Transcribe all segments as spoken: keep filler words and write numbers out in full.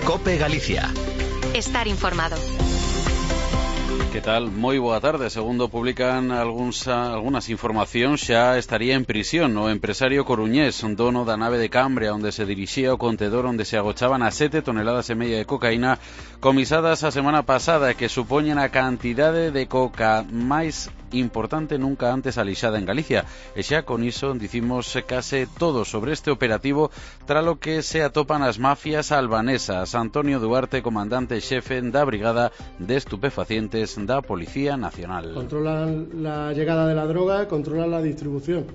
COPE Galicia. Estar informado. Que tal? Moi boa tarde. Segundo publican algúns, algunhas informacións, xa estaría en prisión o empresario coruñés, dono da nave de Cambria, onde se dirixía o contedor onde se agochaban as sete toneladas e media de cocaína comisadas a semana pasada, que supoñen a cantidade de coca máis importante nunca antes alixada en Galicia. E xa con iso dicimos case todo sobre este operativo, tralo que se atopan as mafias albanesas. Antonio Duarte, comandante xefe da Brigada de Estupefacientes da Policía Nacional. Controlan la llegada de la droga, controlan la distribución.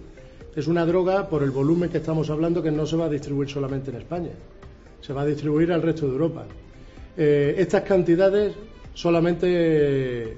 Es una droga, por el volumen que estamos hablando, que no se va a distribuir solamente en España, se va a distribuir al resto de Europa. Eh, estas cantidades solamente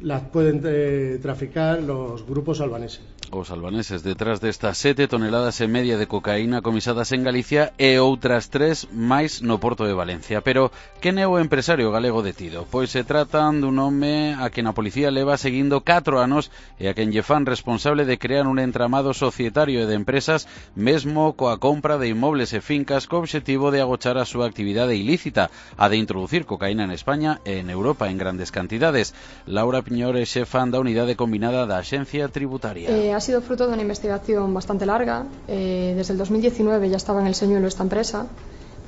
las pueden eh, traficar los grupos albaneses. Os albaneses detrás destas sete toneladas e media de cocaína comisadas en Galicia e outras tres máis no porto de Valencia. Pero quen é o empresario galego detido? Pois se tratan dun home a quen a policía leva seguindo catro anos e a quen lle fan responsable de crear un entramado societario e de empresas, mesmo coa compra de inmobles e fincas co obxectivo de agochar a súa actividade ilícita, a de introducir cocaína en España e en Europa en grandes cantidades. Laura Piñor é xefa da unidade combinada da Axencia Tributaria. Eh, Ha sido fruto de una investigación bastante larga. Eh, desde el dos mil diecinueve ya estaba en el señuelo esta empresa.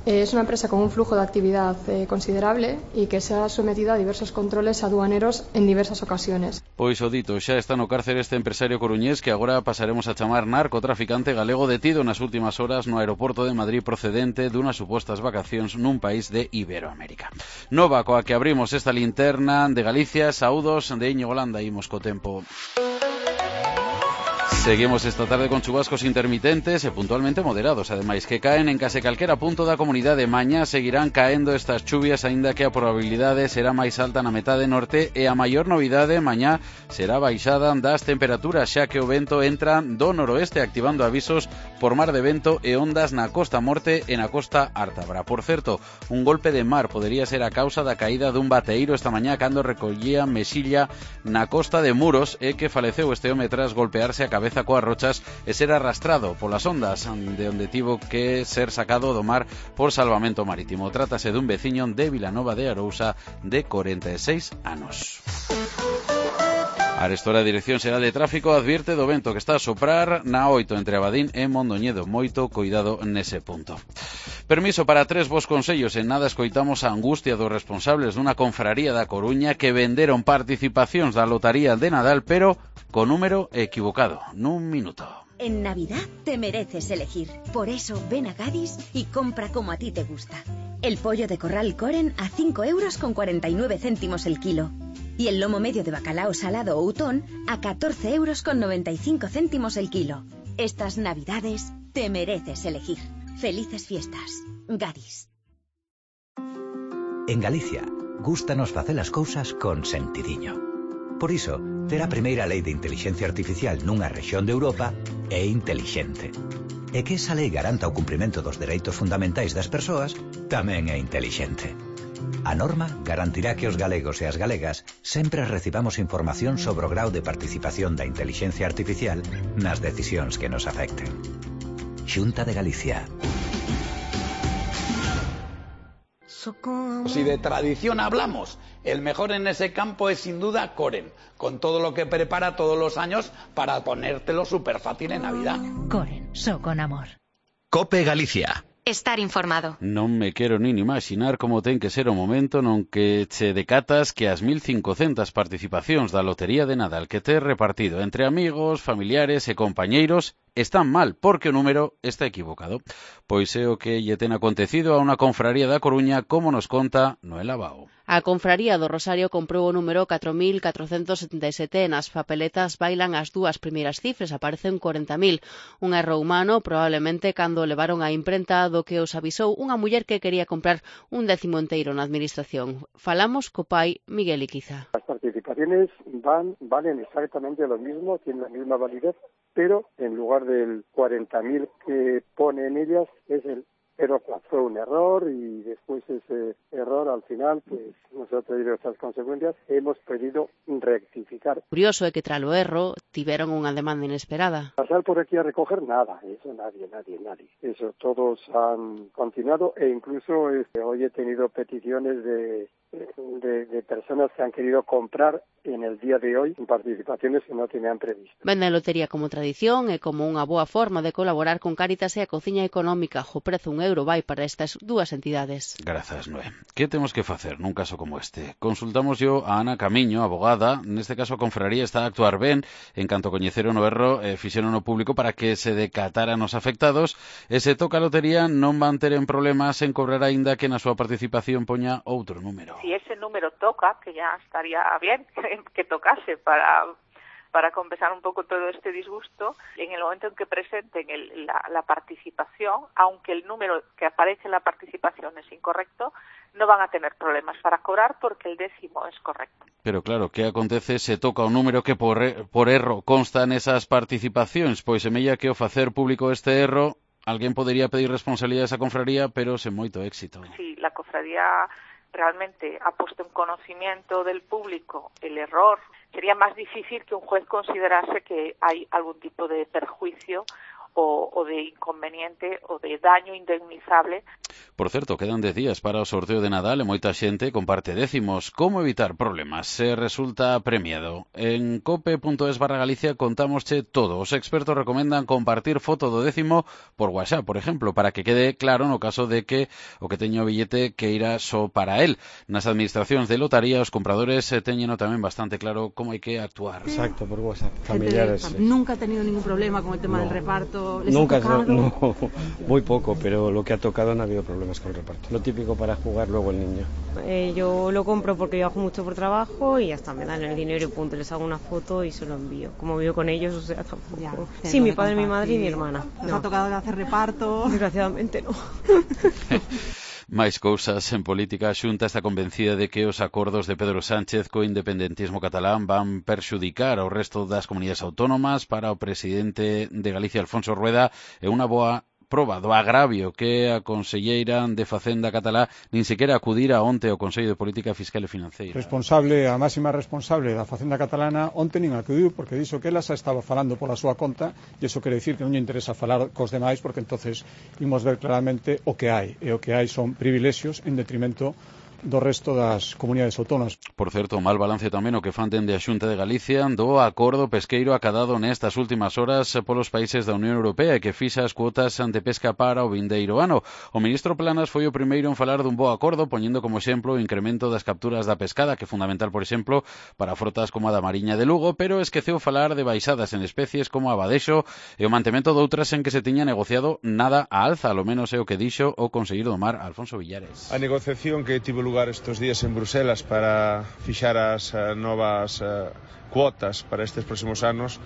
Eh, es una empresa con un flujo de actividad eh, considerable y que se ha sometido a diversos controles aduaneros en diversas ocasiones. Pois o dito, xa está no cárcere este empresario coruñés que agora pasaremos a chamar narcotraficante galego detido nas últimas horas no aeroporto de Madrid procedente dunhas supostas vacacións nun país de Iberoamérica. Nova coa que abrimos esta linterna de Galicia, saúdos de Íñigo Landa, imos co tempo. Seguimos esta tarde con chubascos intermitentes e puntualmente moderados, ademais que caen en case calquera punto da comunidade. Mañá seguirán caendo estas chuvias, aínda que a probabilidade será máis alta na metade norte e a maior novidade mañá será baixada das temperaturas, xa que o vento entra do noroeste activando avisos por mar de vento e ondas na costa morte e na costa ártabra. Por certo, un golpe de mar podería ser a causa da caída dun bateeiro esta mañá cando recollía mesilla na costa de Muros e que faleceu este home tras golpearse a cabeza coas rochas e ser arrastrado polas ondas, de onde tivo que ser sacado do mar por salvamento marítimo. Trátase dun veciño de Vilanova de Arousa de corenta e seis anos. A Arestora Dirección Xeral de Tráfico advierte do vento que está a soprar na oito entre Abadín e Mondoñedo. Moito cuidado nese punto. Permiso para tres vos consellos. En nada escoitamos a angustia dos responsables dunha confraría da Coruña que venderon participacións da lotaría de Nadal, pero co número equivocado. Nun minuto. En Navidad te mereces elegir. Por eso ven a Gadis y compra como a ti te gusta. El pollo de corral Coren a cinco euros con cuarenta y nueve céntimos el kilo. Y el lomo medio de bacalao salado o utón a catorce euros con noventa y cinco céntimos el kilo. Estas Navidades te mereces elegir. Felices fiestas. Gadis. En Galicia, gústanos facer as cousas con sentidiño. Por iso, ter a primeira lei de intelixencia artificial nunha rexión de Europa é intelixente. E que esa lei garanta o cumprimento dos dereitos fundamentais das persoas tamén é intelixente. A norma garantirá que os galegos e as galegas sempre recibamos información sobre o grau de participación da intelixencia artificial nas decisións que nos afecten. Xunta de Galicia. Si de tradición hablamos, el mejor en ese campo es sin duda Coren, con todo lo que prepara todos los años para ponértelo súper fácil en Navidad. Coren, so con amor. COPE Galicia. Estar informado. Non me quero nin imaginar como ten que ser o momento non que che decatas que as mil cincocentas participacións da Lotería de Nadal que te repartido entre amigos, familiares e compañeiros están mal porque o número está equivocado. Pois é o que lle ten acontecido a unha confraría da Coruña, como nos conta Noela Bao. A confraría do Rosario comprou o número catro mil catrocentos setenta e sete e nas papeletas bailan as dúas primeiras cifras, aparecen corenta mil. Un erro humano, probablemente cando levaron a imprenta do que os avisou unha muller que quería comprar un décimo enteiro na administración. Falamos co pai Miguel Iquiza. Las participaciones van, valen exactamente lo mismo, tienen la misma validez, pero en lugar del cuarenta mil que pone en ellas es el pero fue un error y después ese error al final, pues nosotros y nuestras consecuencias hemos pedido rectificar. identificar. Curioso é que tras o erro tiveron unha demanda inesperada. Pasar por aquí a recoger nada, eso nadie, nadie, nadie. Eso todos han continuado e incluso este, hoy he tenido peticiones de, de, de personas que han querido comprar en el día de hoy participaciones que no tenían previsto. Vende a lotería como tradición e como unha boa forma de colaborar con Cáritas e a Cociña Económica. O prezo un euro vai para estas dúas entidades. Grazas, Noé. Que temos que facer nun caso como este? Consultamos yo a Ana Camiño, abogada. Neste caso a confraría está a actuar ben en canto coñeceron o erro e fixeron o público para que se decataran os afectados e se toca a lotería non van ter en problemas en cobrar aínda que na súa participación poña outro número. Si ese número toca, que ya estaría bien que tocase para para compensar un poco todo este disgusto, en el momento en que presenten el, la, la participación, aunque el número que aparece en la participación es incorrecto, no van a tener problemas para cobrar porque el décimo es correcto. Pero claro, que acontece se toca un número que por, por erro consta nesas participacións? Pois semella que ao facer público este erro, alguén podería pedir responsabilidade a esa confraría, pero sen moito éxito. Sí, la cofradía realmente ha puesto en conocimiento del público el error, sería más difícil que un juez considerase que hay algún tipo de perjuicio o, o de inconveniente o de daño indemnizable. Por certo, quedan dez días para o sorteo de Nadal e moita xente comparte décimos. Como evitar problemas se resulta premiado? En cope punto es barra Galicia contámosche todo. Os expertos recomendan compartir foto do décimo por WhatsApp, por exemplo, para que quede claro no caso de que o que teña o billete que irá só para él. Nas administracións de lotaría os compradores teñeno tamén bastante claro como hai que actuar. Exacto, por WhatsApp. Familiares. Gente, nunca ha tenido ningún problema con el tema no. del reparto. ¿Les Nunca, ha tocado? No, muy poco, pero lo que ha tocado no ha habido problemas con el reparto. Lo típico para jugar luego el niño. Eh, yo lo compro porque viajo mucho por trabajo y hasta me dan el dinero y punto, les hago una foto y se lo envío. Como vivo con ellos, o sea, tampoco. Ya, sí, mi padre, mi madre y mi hermana. ¿Les no. ha tocado hacer reparto? Desgraciadamente no. Máis cousas en política. A Xunta está convencida de que os acordos de Pedro Sánchez co independentismo catalán van perxudicar ao resto das comunidades autónomas. Para o presidente de Galicia, Alfonso Rueda, é unha boa proba do agravio que a conselleira de Facenda catalá nin sequera acudira onte ao Consello de Política Fiscal e Financeira. Responsable, a máxima responsable da Facenda catalana onte nin acudiu porque dixo que ela xa estaba falando pola súa conta e iso quere dicir que non lle interesa falar cos demais porque entonces imos ver claramente o que hai e o que hai son privilexios en detrimento do resto das comunidades autónomas. Por certo, mal balance tamén o que fan dende a Xunta de Galicia do acordo pesqueiro acadado nestas últimas horas polos países da Unión Europea e que fixa as cuotas de pesca para o vindeiro ano. O ministro Planas foi o primeiro en falar dun bo acordo, poñendo como exemplo o incremento das capturas da pescada, que é fundamental, por exemplo, para frotas como a da Mariña de Lugo, pero esqueceu falar de baixadas en especies como a badexo e o mantemento doutras en que se tiña negociado nada a alza, ao menos é o que dixo o conselleiro do Mar, Alfonso Villares. A negociación que tivo lugar estes días en Bruselas para fixar as uh, novas uh, cuotas para estes próximos anos,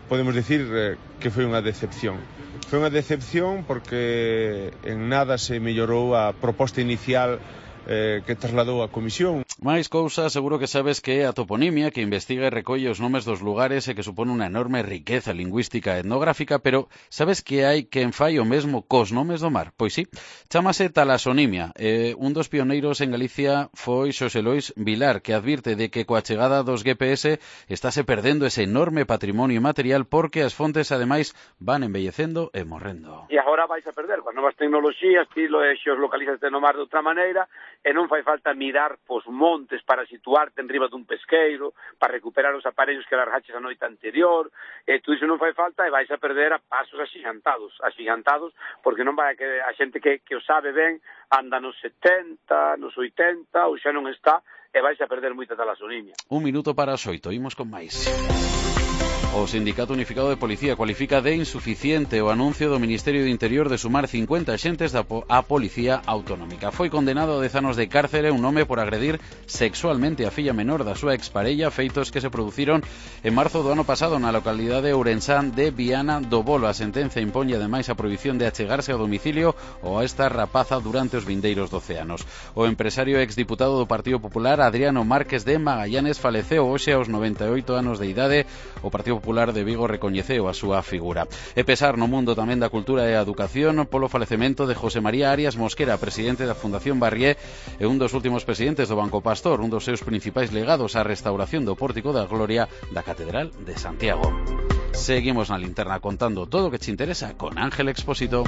podemos dicir uh, que foi unha decepción. Foi unha decepción porque en nada se mellorou a proposta inicial eh, que trasladou a Comisión. Máis cousas, seguro que sabes que é a toponimia, que investiga e recolle os nomes dos lugares e que supone unha enorme riqueza lingüística e etnográfica, pero sabes que hai quen fai o mesmo cos nomes do mar? Pois sí, chámase talasonimia. Eh, un dos pioneiros en Galicia foi Xosé Lois Vilar, que advirte de que coa chegada dos G P S estáse perdendo ese enorme patrimonio material porque as fontes, ademais, van embellecendo e morrendo. E agora vais a perder, coas novas tecnoloxías, ti lo xeolocalizaste no mar de outra maneira, e non fai falta mirar pos montes para situarte en riba dun pesqueiro, para recuperar os aparellos que largaches a noite anterior, e tú iso non fai falta e vais a perder a pasos axigantados, axigantados, porque non vai a que a xente que, que o sabe ben anda nos setenta, nos oitenta, ou xa non está, e vais a perder moita talasonimia. Un minuto para as oito, imos con máis. O Sindicato Unificado de Policía cualifica de insuficiente o anuncio do Ministerio do Interior de sumar cincuenta axentes da po a Policía Autonómica. Foi condenado a dez anos de cárcere un home por agredir sexualmente a filla menor da súa exparella, feitos que se produciron en marzo do ano pasado na localidade ourensán de Viana do Bolo. A sentenza imponlle ademais a prohibición de achegarse ao domicilio ou a esta rapaza durante os vindeiros doce anos. O empresario exdiputado do Partido Popular, Adriano Márquez de Magallanes, faleceu hoxe aos noventa e oito anos de idade. O Partido Partido Popular de Vigo recoñeceu a súa figura. E pesar no mundo tamén da cultura e a educación polo falecemento de José María Arias Mosquera, presidente da Fundación Barrié e un dos últimos presidentes do Banco Pastor, un dos seus principais legados á restauración do Pórtico da Gloria da Catedral de Santiago. Seguimos na linterna contando todo o que te interesa con Ángel Expósito.